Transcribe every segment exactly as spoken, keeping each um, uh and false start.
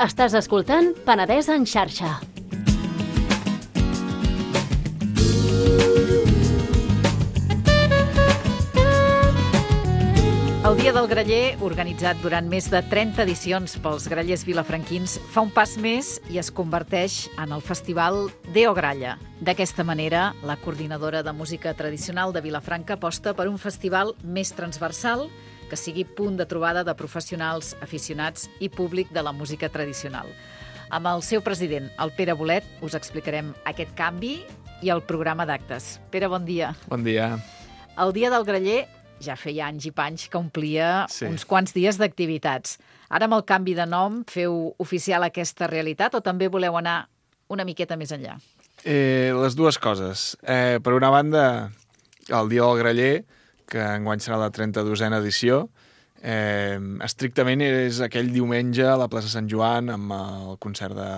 Estàs escoltant Penedès en xarxa. El Dia del Graller, organitzat durant més de trenta edicions pels grallers vilafranquins, fa un pas més i es converteix en el festival Deo Gralla. D'aquesta manera, la coordinadora de música tradicional de Vilafranca aposta per un festival més transversal que sigui punt de trobada de professionals, aficionats i públic de la música tradicional. Amb el seu president, el Pere Bolet, us explicarem aquest canvi i el programa d'actes. Pere, bon dia. Bon dia. El Dia del Graller ja feia anys i panys que omplia sí. uns quants dies d'activitats. Ara, amb el canvi de nom, feu oficial aquesta realitat o també voleu anar una miqueta més enllà? Eh, les dues coses. Eh, per una banda, el Dia del Graller, que enguany serà la trenta-dosena edició, eh, estrictament és aquell diumenge a la plaça Sant Joan amb el concert de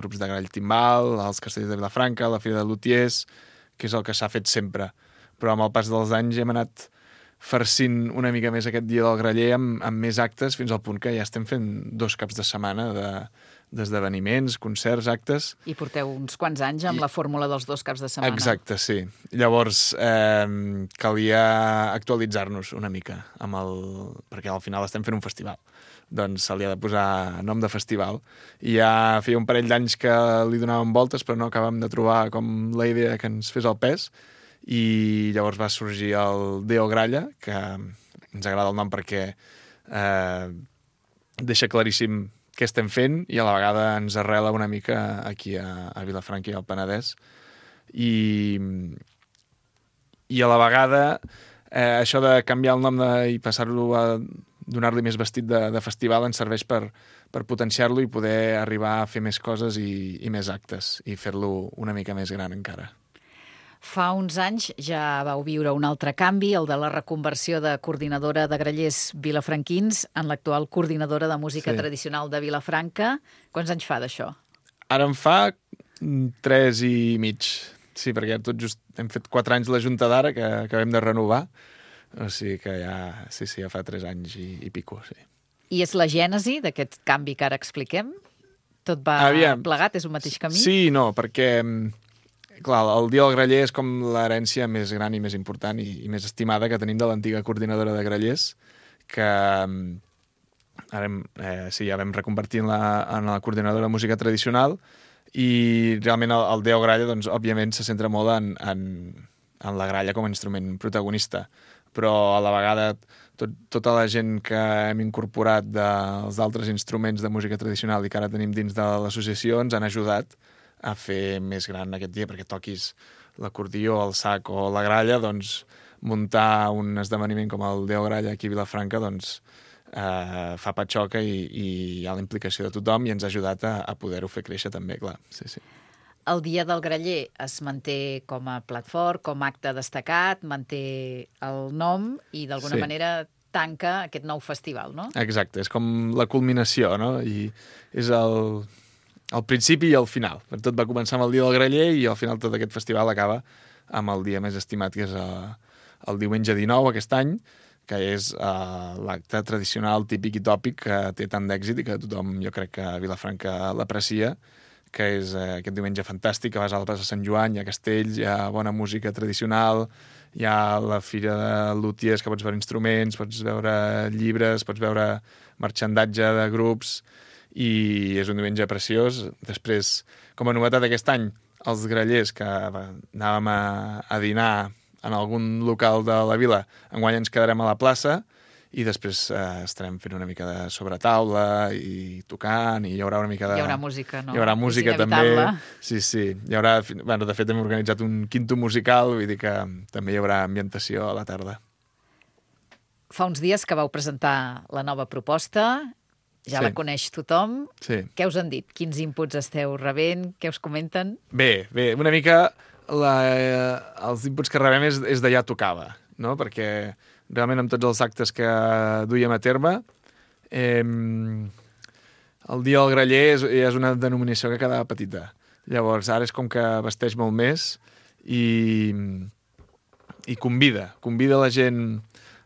grups de grall timbal, els castells de Vilafranca, la Fira de Lutiers, que és el que s'ha fet sempre. Però amb el pas dels anys hem anat farcint una mica més aquest Dia del Graller amb, amb més actes, fins al punt que ja estem fent dos caps de setmana de, d'esdeveniments, concerts, actes. I porteu uns quants anys amb I... la fórmula dels dos caps de setmana. Exacte, sí. Llavors, eh, calia actualitzar-nos una mica, amb el... perquè al final estem fent un festival. Doncs se li ha de posar nom de festival. I ja feia un parell d'anys que li donàvem voltes, però no acabàvem de trobar com la idea que ens fes el pes. I llavors va sorgir el Deo Gralla, que ens agrada el nom perquè eh, deixa claríssim què estem fent i a la vegada ens arrela una mica aquí a, a Vilafranca i al Penedès. I, i a la vegada eh, això de canviar el nom de, i passar-lo a donar-li més vestit de, de festival ens serveix per, per potenciar-lo i poder arribar a fer més coses i, i més actes i fer-lo una mica més gran encara. Fa uns anys ja vau viure un altre canvi, el de la reconversió de coordinadora de grallers vilafranquins en l'actual coordinadora de música sí. tradicional de Vilafranca. Quants anys fa d'això? Ara en fa tres i mig. Sí, perquè tot just hem fet quatre anys la Junta d'ara, que acabem de renovar. O sigui que ja, sí, sí, ja fa tres anys i, i pico, sí. I és la gènesi d'aquest canvi que ara expliquem? Tot va Aviam. plegat? És un mateix camí? Sí, no, perquè... Clar, el Dia del Graller és com l'herència més gran i més important i, i més estimada que tenim de l'antiga coordinadora de grallers, que ara hem, eh, sí, ja vam reconvertir en la, en la coordinadora de música tradicional i realment el, el Deo Gralla, doncs, òbviament, se centra molt en, en, en la gralla com a instrument protagonista, però a la vegada tot, tota la gent que hem incorporat dels altres instruments de música tradicional i que ara tenim dins de l'associació ens han ajudat a fer més gran aquest dia, perquè toquis l'acordió, el sac o la gralla, doncs muntar un esdeveniment com el Deo Gralla aquí a Vilafranca doncs eh, fa patxoca i, i hi ha la implicació de tothom i ens ha ajudat a, a poder-ho fer créixer també, clar. Sí, sí. El Dia del Graller es manté com a plat fort, com a acte destacat, manté el nom i d'alguna sí. manera tanca aquest nou festival, no? Exacte, és com la culminació, no? I és el... al principi i al final. Tot va començar amb el Dia del Graller i al final tot aquest festival acaba amb el dia més estimat, que és el, el diumenge dinou aquest any, que és uh, l'acte tradicional, típic i tòpic que té tant d'èxit i que tothom, jo crec que a Vilafranca l'aprecia, que és uh, aquest diumenge fantàstic, que vas a la plaça Sant Joan, hi ha castells, hi ha bona música tradicional, hi ha la Fira de Lutiers, que pots veure instruments, pots veure llibres, pots veure marxandatge de grups, i és un diumenge preciós. Després, com a novetat aquest any, els grallers que anàvem a, a dinar en algun local de la vila, enguany ens quedarem a la plaça i després eh, estarem fent una mica de sobretaula i tocant i hi haurà una mica de... Hi haurà música, no? Hi haurà música també. Sí, sí. Hi haurà... Bueno, de fet, hem organitzat un quinto musical, vull dir que també hi haurà ambientació a la tarda. Fa uns dies que vau presentar la nova proposta. Ja sí. la coneix tothom. Sí. Què us han dit? Quins inputs esteu rebent? Què us comenten? Bé, bé, una mica la, eh, els inputs que rebem és, és d'allà tocava, no? Perquè realment amb tots els actes que duiem a terme, eh, el Dia del Graller és, és una denominació que quedava petita. Llavors, ara és com que vesteix molt més i, i convida, convida la gent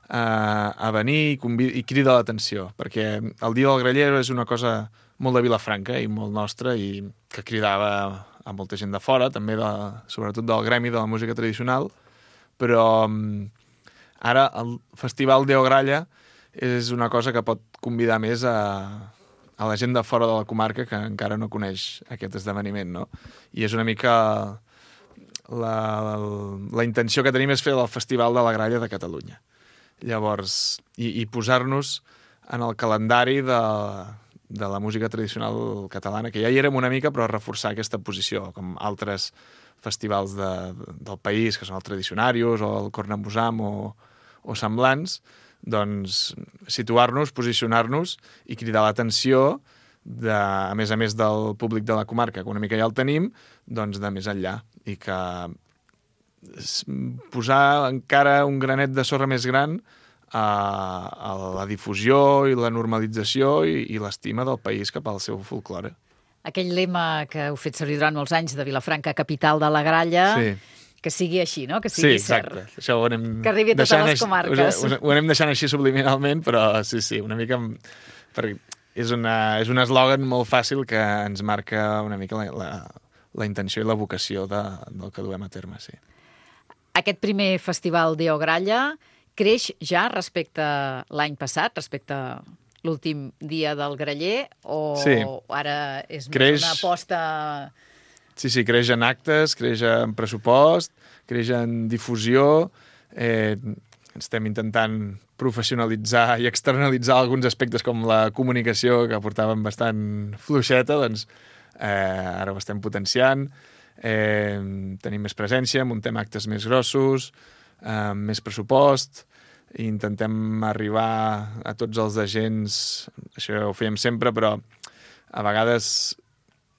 a, a venir i, convida, i crida l'atenció, perquè el Dia del Graller és una cosa molt de Vilafranca i molt nostre, i que cridava a molta gent de fora, també de, sobretot del gremi de la música tradicional, però um, ara el Festival Deo Gralla és una cosa que pot convidar més a, a la gent de fora de la comarca que encara no coneix aquest esdeveniment, no? I és una mica la, la, la intenció que tenim és fer el Festival de la Gralla de Catalunya. Llavors, i, i posar-nos en el calendari de, de la música tradicional catalana, que ja hi érem una mica, però reforçar aquesta posició, com altres festivals de, del país, que són el Tradicionarius o el Cornamusam o, o semblants, doncs situar-nos, posicionar-nos i cridar l'atenció, de, a més a més del públic de la comarca, que una mica ja el tenim, doncs de més enllà. I que posar encara un granet de sorra més gran a, a la difusió i la normalització i, i l'estima del país cap al seu folklore. Aquell lema que heu fet servir durant molts anys de Vilafranca, capital de la gralla, sí. Que sigui així, no? Que sigui sí, exacte. cert. Això ho anem que arribi a totes les comarques. Ho, ho anem deixant així subliminalment, però sí, sí, una mica... Perquè és, una, és un eslògan molt fàcil que ens marca una mica la, la, la intenció i la vocació de, del que duem a terme, sí. Aquest primer festival Deo Gralla creix ja respecte a l'any passat, respecte a l'últim dia del graller, o sí. Ara és creix... més una aposta... Sí, sí, creix en actes, creix en pressupost, creix en difusió, eh, estem intentant professionalitzar i externalitzar alguns aspectes com la comunicació, que portàvem bastant fluixeta, doncs eh, ara ho estem potenciant, eh, tenim més presència, muntem actes més grossos, eh, més pressupost, i intentem arribar a tots els agents, això ho fèiem sempre, però a vegades...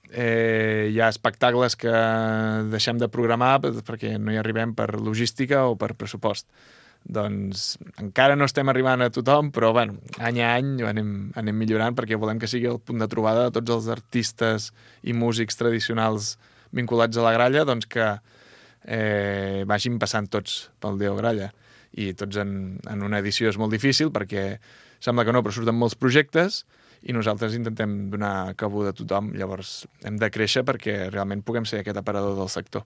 Eh, hi ha espectacles que deixem de programar perquè no hi arribem per logística o per pressupost. Doncs encara no estem arribant a tothom, però bueno, any a any anem, anem millorant perquè volem que sigui el punt de trobada de tots els artistes i músics tradicionals vinculats a la gralla, doncs que eh, vagin passant tots pel Deo Gralla. I tots en, en una edició és molt difícil perquè sembla que no, però surten molts projectes i nosaltres intentem donar cabuda a tothom. Llavors hem de créixer perquè realment puguem ser aquest aparador del sector.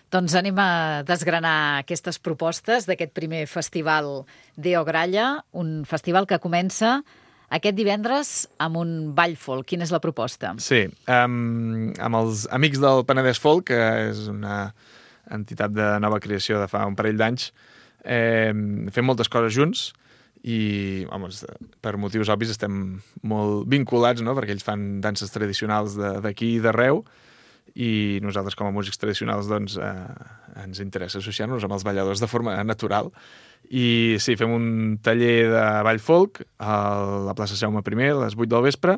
Doncs anem a desgranar aquestes propostes d'aquest primer festival Deo Gralla, un festival que comença aquest divendres amb un ball folk. Quina és la proposta? Sí, um, amb els Amics del Penedès Folk, que és una entitat de nova creació de fa un parell d'anys, eh, fem moltes coses junts, i home, per motius obvis estem molt vinculats, no? Perquè ells fan danses tradicionals d'aquí i d'arreu, i nosaltres com a músics tradicionals doncs, eh, ens interessa associar-nos amb els balladors de forma natural. I sí, fem un taller de ball folk a la plaça Jaume primer a les vuit del vespre,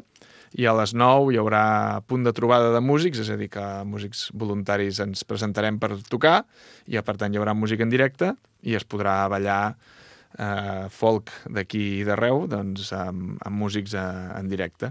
i a les nou hi haurà punt de trobada de músics, és a dir, que músics voluntaris ens presentarem per tocar, i per tant hi haurà música en directe i es podrà ballar Uh, folk d'aquí i d'arreu, doncs amb, amb músics uh, en directe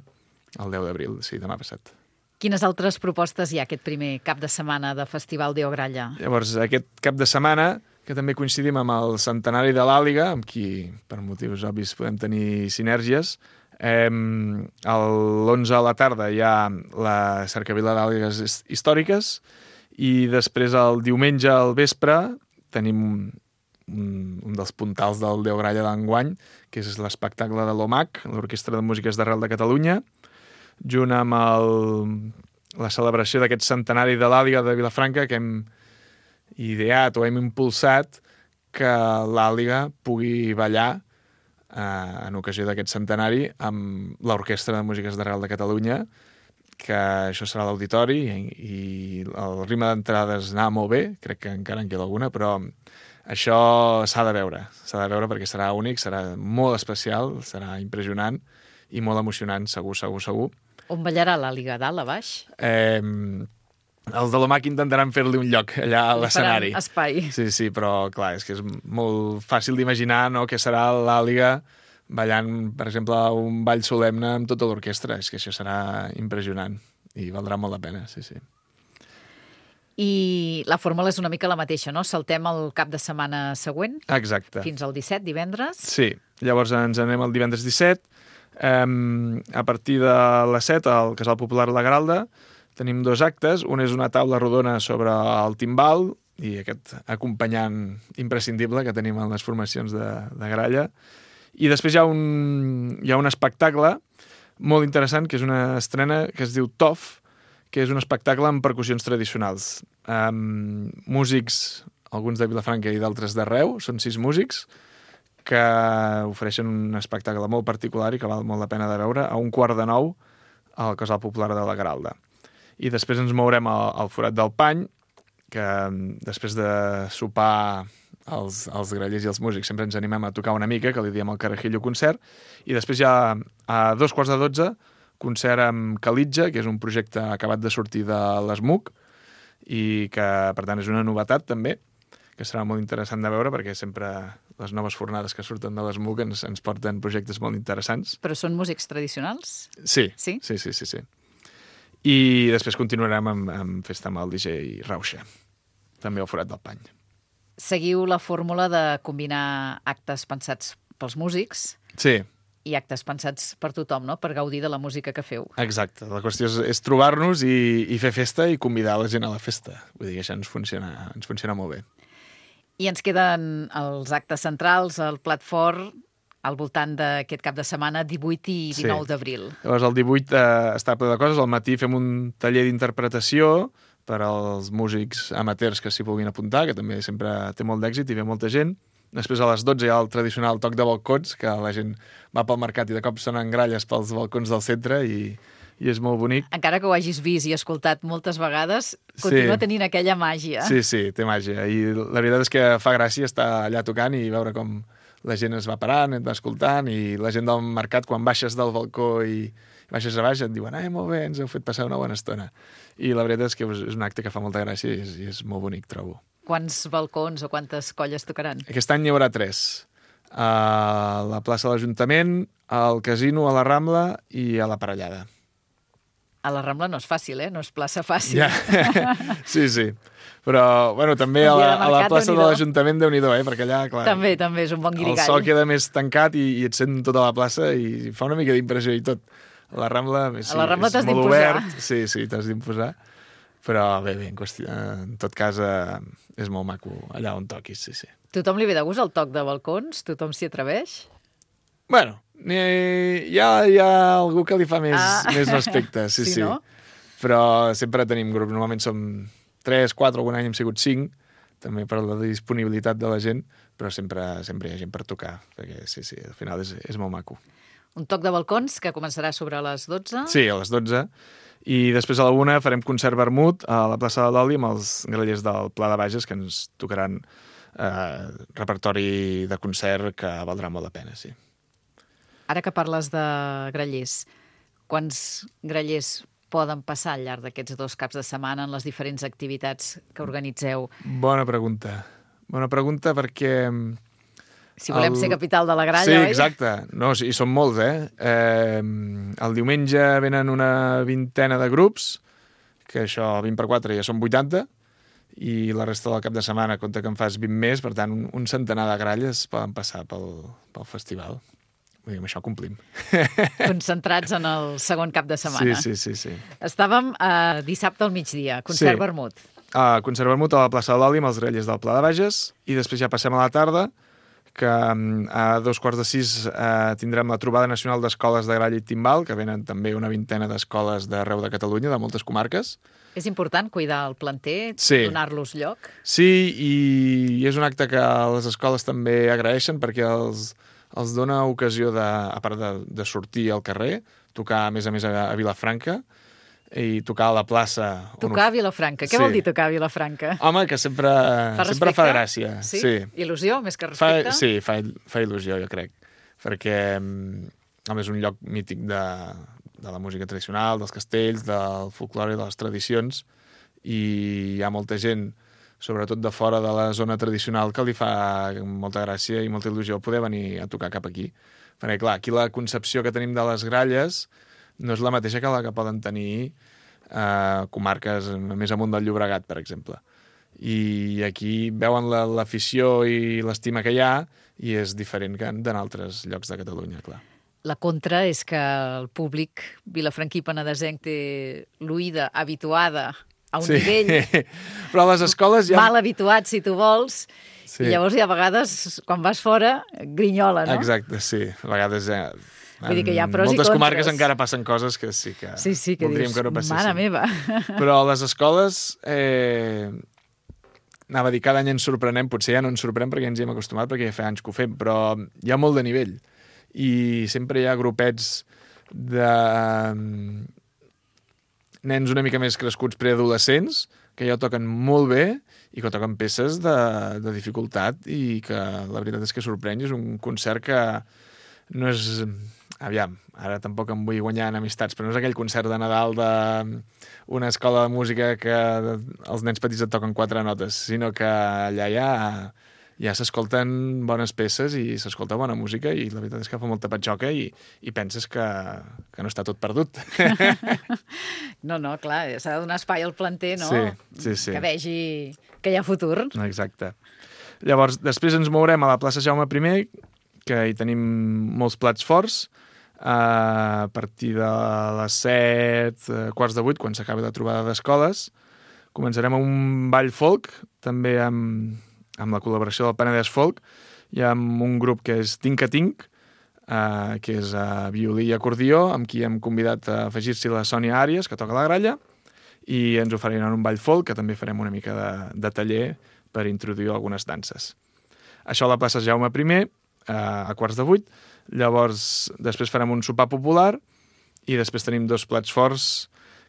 el deu d'abril, sí, demà passat. Quines altres propostes hi ha aquest primer cap de setmana de Festival Deo Gralla? Llavors, aquest cap de setmana, que també coincidim amb el centenari de l'Àliga, amb qui, per motius obvis, podem tenir sinergies, eh, l'onze a la tarda hi ha la cercavila d'àligues històriques, i després el diumenge al vespre tenim un, un dels puntals del Deo Gralla d'enguany, que és l'espectacle de l'O M A C, l'Orquestra de Músiques d'Arrel de Catalunya, junt amb el, la celebració d'aquest centenari de l'Àliga de Vilafranca, que hem ideat o hem impulsat que l'Àliga pugui ballar eh, en ocasió d'aquest centenari amb l'Orquestra de Músiques d'Arrel de Catalunya, que això serà a l'auditori, i, i el ritme d'entrades anava molt bé, crec que encara en queda alguna, però això s'ha de veure, s'ha de veure perquè serà únic, serà molt especial, serà impressionant i molt emocionant, segur, segur, segur. On ballarà l'Àliga, dalt, a baix? Eh, els de l'O M A C intentaran fer-li un lloc allà a l'escenari. Espai. Sí, sí, però clar, és que és molt fàcil d'imaginar, no?, que serà l'Àliga ballant, per exemple, un ball solemne amb tota l'orquestra. És que això serà impressionant i valdrà molt la pena, sí, sí. I la fórmula és una mica la mateixa, no? Saltem el cap de setmana següent. Exacte. Fins al disset, divendres. Sí, llavors ens anem el divendres disset. Um, a partir de les set, al Casal Popular La Gralda, tenim dos actes. Un és una taula rodona sobre el timbal i aquest acompanyant imprescindible que tenim en les formacions de, de gralla. I després hi ha, un, hi ha un espectacle molt interessant, que és una estrena que es diu T O F, que és un espectacle amb percussions tradicionals. Um, músics, alguns de Vilafranca i d'altres d'arreu, són sis músics, que ofereixen un espectacle molt particular i que val molt la pena de veure, a un quart de nou al Casal Popular de la Gralda. I després ens mourem al, al Forat del Pany, que després de sopar els, els grallers i els músics sempre ens animem a tocar una mica, que li diem el Carajillo concert, i després hi ha a dos quarts de dotze concert amb Calitja, que és un projecte acabat de sortir de l'ESMUC i que, per tant, és una novetat també, que serà molt interessant de veure perquè sempre les noves fornades que surten de l'ESMUC ens, ens porten projectes molt interessants. Però són músics tradicionals? Sí, sí, sí, sí, sí, sí. I després continuarem amb, amb festa amb el D J Rauxa, també al Forat del Pany. Seguiu la fórmula de combinar actes pensats pels músics sí. i actes pensats per tothom, no? Per gaudir de la música que feu. Exacte. La qüestió és, és trobar-nos i, i fer festa i convidar la gent a la festa. Vull dir que això ens funciona, ens funciona molt bé. I ens queden els actes centrals, el plat fort, al voltant d'aquest cap de setmana, divuit i dinou sí. d'abril. Llavors, el divuit eh, està ple de coses. Al matí fem un taller d'interpretació per als músics amateurs que s'hi puguin apuntar, que també sempre té molt d'èxit i ve molta gent. Després, a les dotze, hi ha el tradicional toc de balcons, que la gent va pel mercat i de cop sonen gralles pels balcons del centre i, i és molt bonic. Encara que ho hagis vist i escoltat moltes vegades, continua sí. tenint aquella màgia. Sí, sí, té màgia. I la veritat és que fa gràcia estar allà tocant i veure com la gent es va parant, et va escoltant, i la gent del mercat, quan baixes del balcó i baixes a baix, et diuen «Ai, molt bé, ens heu fet passar una bona estona». I la veritat és que és un acte que fa molta gràcia i és, i és molt bonic, trobo. Quants balcons o quantes colles tocaran? Aquest any hi haurà tres. A la plaça de l'Ajuntament, al Casino, a la Rambla i a la Parellada. A la Rambla no és fàcil, eh? No és plaça fàcil. Ja. Sí, sí. Però, bueno, també a la, a la plaça de l'Ajuntament, Déu-n'hi-do, eh? Perquè allà, clar... També, també, és un bon guirigall. El sol queda més tancat i, i et sent tota la plaça i fa una mica d'impressió i tot. A la Rambla, sí, a la Rambla és t'has molt d'imposar. obert. Sí, sí, t'has d'imposar. Però bé, bé, en, qüestió, en tot cas eh, és molt maco allà on toquis, sí, sí. Tothom li ve de gust el toc de balcons? Tothom s'hi atreveix? Bueno, hi ha, hi ha algú que li fa més, ah. més respecte, sí, sí. sí. No? Però sempre tenim grup. Normalment som tres, quatre, algun any hem sigut cinc, també per la disponibilitat de la gent, però sempre, sempre hi ha gent per tocar, perquè sí, sí, al final és, és molt maco. Un toc de balcons que començarà sobre les dotze? Sí, a les dotze. I després a la una farem concert vermut a la plaça de l'Oli amb els grallers del Pla de Bages, que ens tocaran eh, repertori de concert que valdrà molt la pena, sí. Ara que parles de grallers, quants grallers poden passar al llarg d'aquests dos caps de setmana en les diferents activitats que organitzeu? Bona pregunta. Bona pregunta perquè... Si volem el... ser capital de la gralla, sí, oi? Sí, exacte. No, sí, són molts, eh? eh? El diumenge venen una vintena de grups, que això, vint per quatre, ja són vuitanta, i la resta del cap de setmana compta que en fas vint més, per tant, un, un centenar de gralles poden passar pel, pel festival. Vull dir, amb això complim. Concentrats en el segon cap de setmana. Sí, sí, sí. sí. Estàvem uh, dissabte al migdia, concert sí. vermut. Uh, concert vermut a la plaça de l'Oli amb els grallers del Pla de Bages, i després ja passem a la tarda, que a dos quarts de sis eh, tindrem la trobada nacional d'escoles de gralla i timbal, que venen també una vintena d'escoles d'arreu de Catalunya, de moltes comarques. És important cuidar el planter, sí. donar-los lloc? Sí, i, i és un acte que les escoles també agraeixen perquè els, els dona ocasió, de, a part de, de sortir al carrer, tocar a més a més a, a Vilafranca, i tocar a la plaça... Tocar a Vilafranca. Què sí. vol dir tocar a Vilafranca? Home, que sempre fa, sempre fa gràcia. Sí? sí? Il·lusió, més que respecte? Fa, sí, fa, fa il·lusió, jo crec. Perquè, home, és un lloc mític de, de la música tradicional, dels castells, del folklore, de les tradicions, i hi ha molta gent, sobretot de fora de la zona tradicional, que li fa molta gràcia i molta il·lusió poder venir a tocar cap aquí. Perquè, clar, aquí la concepció que tenim de les gralles no és la mateixa que la que poden tenir eh, comarques més amunt del Llobregat, per exemple. I aquí veuen l'afició i l'estima que hi ha i és diferent que en altres llocs de Catalunya, clar. La contra és que el públic vilafranquí penedesenc té l'oïda habituada a un sí. nivell Però a les escoles ja... mal habituat, si tu vols, sí. I llavors hi ha vegades, quan vas fora, grinyola, no? Exacte, sí. A vegades ja... Vull dir que hi ha pros i moltes contres. comarques encara passen coses que sí que, sí, sí, que voldríem dius, que no passessin. mare meva. Però a les escoles, eh, anava a dir, cada any ens sorprenem, potser ja no ens sorprèn perquè ens hi hem acostumat, perquè ja fa anys que ho fem, però hi ha molt de nivell. I sempre hi ha grupets de nens una mica més crescuts preadolescents, que ja toquen molt bé i que toquen peces de, de dificultat i que la veritat és que sorprèn. És un concert que no és... Aviam, ara tampoc em vull guanyar en amistats, però no és aquell concert de Nadal d'una escola de música que els nens petits et toquen quatre notes, sinó que allà ja, ja s'escolten bones peces i s'escolta bona música i la veritat és que fa molta patxoca i, i penses que, que no està tot perdut. No, no, clar, s'ha de donar espai al planter, no? Sí, sí, sí. Que vegi que hi ha futur. Exacte. Llavors, després ens mourem a la plaça Jaume primer, que hi tenim molts plats forts, a partir de les set, quarts de vuit, quan s'acaba la trobada d'escoles. Començarem amb un ball folk, també amb, amb la col·laboració del Penedès Folk, i amb un grup que és Tinca Tinc, eh, que és uh, violí i acordió, amb qui hem convidat a afegir-s'hi la Sònia Àries, que toca la gralla, i ens oferiran un ball folk, que també farem una mica de, de taller per introduir algunes danses. Això a la plaça Jaume primer, a quarts de vuit. Llavors, després farem un sopar popular i després tenim dos plats forts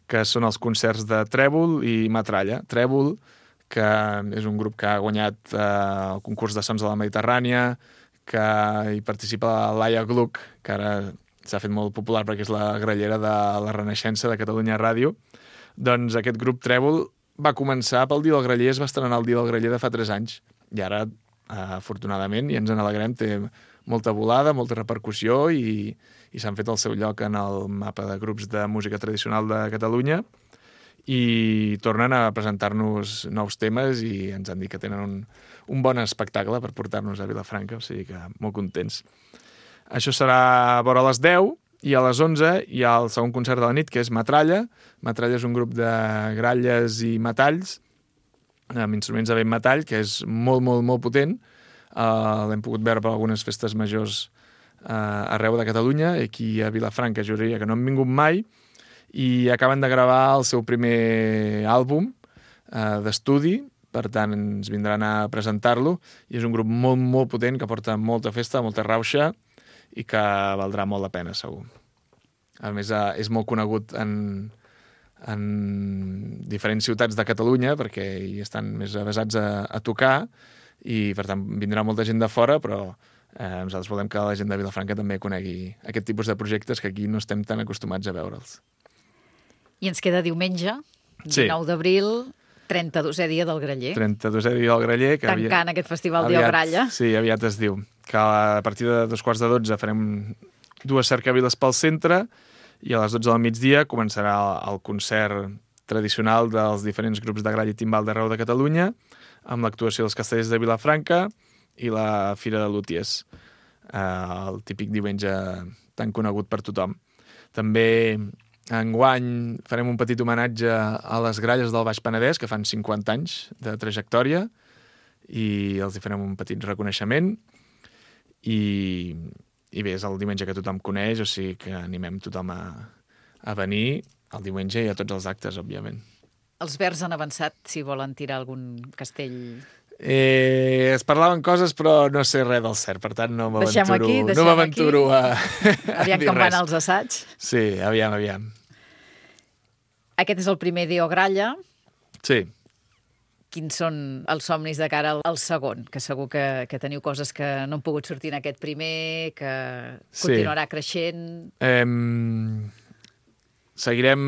que són els concerts de Trèvol i Matralla. Trèvol, que és un grup que ha guanyat eh, el concurs de sons de la Mediterrània, que hi participa la Laia Gluck, que ara s'ha fet molt popular perquè és la grallera de la Renaixença de Catalunya Ràdio. Doncs aquest grup Trèvol va començar pel Dia del Graller, es va estrenar el Dia del Graller de fa tres anys, i ara afortunadament, i ens en alegrem, té molta volada, molta repercussió i, i s'han fet el seu lloc en el mapa de grups de música tradicional de Catalunya i tornen a presentar-nos nous temes i ens han dit que tenen un, un bon espectacle per portar-nos a Vilafranca, o sigui que molt contents. Això serà a vora les deu i a les onze hi ha el segon concert de la nit, que és Matralla. Matralla és un grup de gralles i metalls, amb instruments de vent metall, que és molt, molt, molt potent. Uh, l'hem pogut veure per algunes festes majors uh, arreu de Catalunya, aquí a Vilafranca, juraria que no han vingut mai, i acaben de gravar el seu primer àlbum uh, d'estudi, per tant ens vindran a presentar-lo, i és un grup molt, molt potent, que porta molta festa, molta rauxa, i que valdrà molt la pena, segur. A més, uh, és molt conegut en... en diferents ciutats de Catalunya, perquè hi estan més avesats a, a tocar, i per tant vindrà molta gent de fora, però eh, nosaltres volem que la gent de Vilafranca també conegui aquest tipus de projectes que aquí no estem tan acostumats a veure'ls. I ens queda diumenge, dinou d'abril, trenta-dosè dia del Graller. trenta-dosè dia del Graller. Que Tancant aviat, aquest festival Dio Gralla. Sí, aviat es diu. Que a partir de dos quarts de dotze farem dues cercaviles pel centre, i a les dotze del migdia començarà el concert tradicional dels diferents grups de gralla i timbal d'arreu de Catalunya, amb l'actuació dels Castellers de Vilafranca i la Fira de Lúties, eh, el típic diumenge tan conegut per tothom. També enguany farem un petit homenatge a les gralles del Baix Penedès, que fan cinquanta anys de trajectòria, i els hi farem un petit reconeixement. I... I bé, és el diumenge que tothom coneix, o sigui que animem tothom a, a venir el diumenge i a tots els actes, òbviament. Els Verds han avançat si volen tirar algun castell? Eh, es parlaven coses, però no sé res del cert, per tant no m'aventuro, aquí, no m'aventuro a, a aviam dir com res. van els assaigs. Sí, aviam, aviam. Aquest és el primer Dio Gralla. Sí. Quins són els somnis de cara al segon? Que segur que, que teniu coses que no han pogut sortir en aquest primer, que continuarà sí. creixent. Eh, seguirem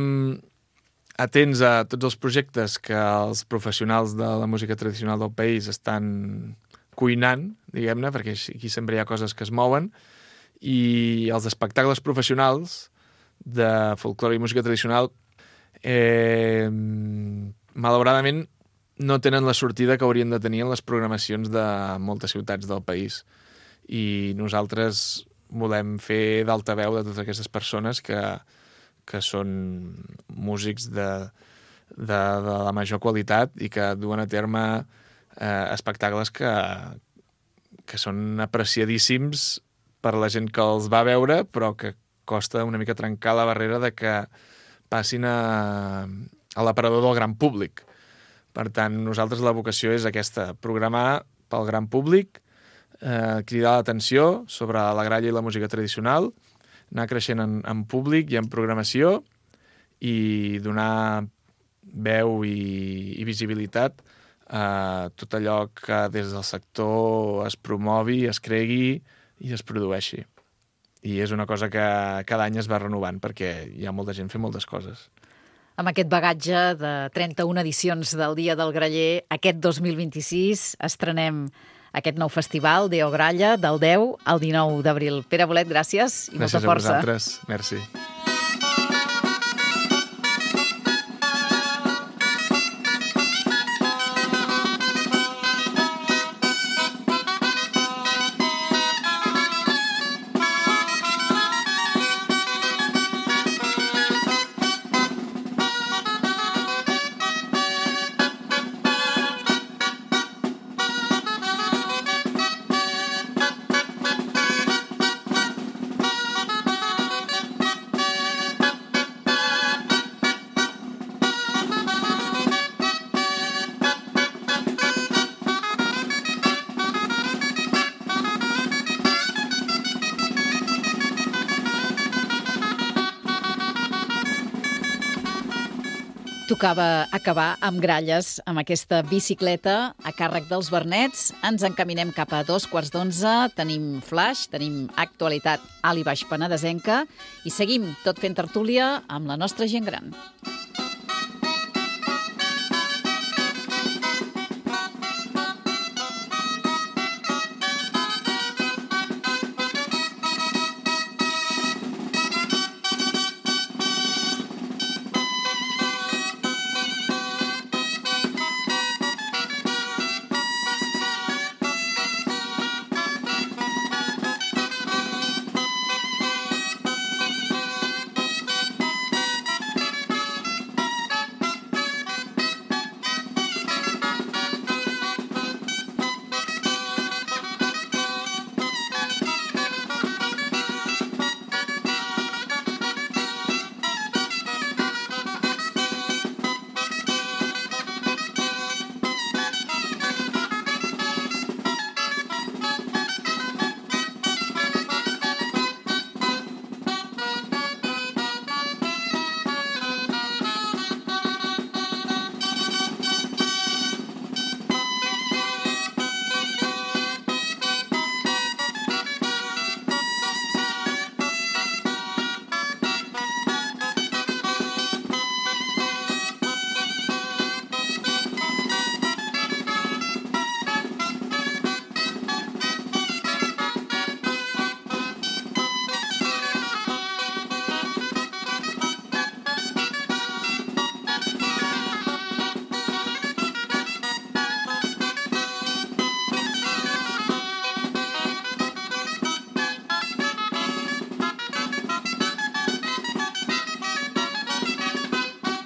atents a tots els projectes que els professionals de la música tradicional del país estan cuinant, diguem-ne, perquè aquí sempre hi ha coses que es mouen, i els espectacles professionals de folclore i música tradicional eh, malauradament no tenen la sortida que haurien de tenir en les programacions de moltes ciutats del país. I nosaltres volem fer d'altaveu de totes aquestes persones que, que són músics de, de, de la major qualitat i que duen a terme eh, espectacles que, que són apreciadíssims per la gent que els va veure, però que costa una mica trencar la barrera de que passin a, a l'aparador del gran públic. Per tant, nosaltres la vocació és aquesta, programar pel gran públic, eh, cridar l'atenció sobre la gralla i la música tradicional, anar creixent en, en públic i en programació i donar veu i, i visibilitat a tot allò que des del sector es promovi, es cregui i es produeixi. I és una cosa que cada any es va renovant perquè hi ha molta gent fent moltes coses. Amb aquest bagatge de trenta-una edicions del Dia del Graller, aquest dos mil vint-i-sis estrenem aquest nou festival, Deo Gralla, del deu al dinou d'abril. Pere Bolet, gràcies i gràcies molta força. Gràcies a vosaltres. Merci. Tocava acabar amb gralles, amb aquesta bicicleta a càrrec dels Bernets. Ens encaminem cap a dos quarts d'onze, tenim flash, tenim actualitat alt i baix penedesenca i seguim tot fent tertúlia amb la nostra gent gran.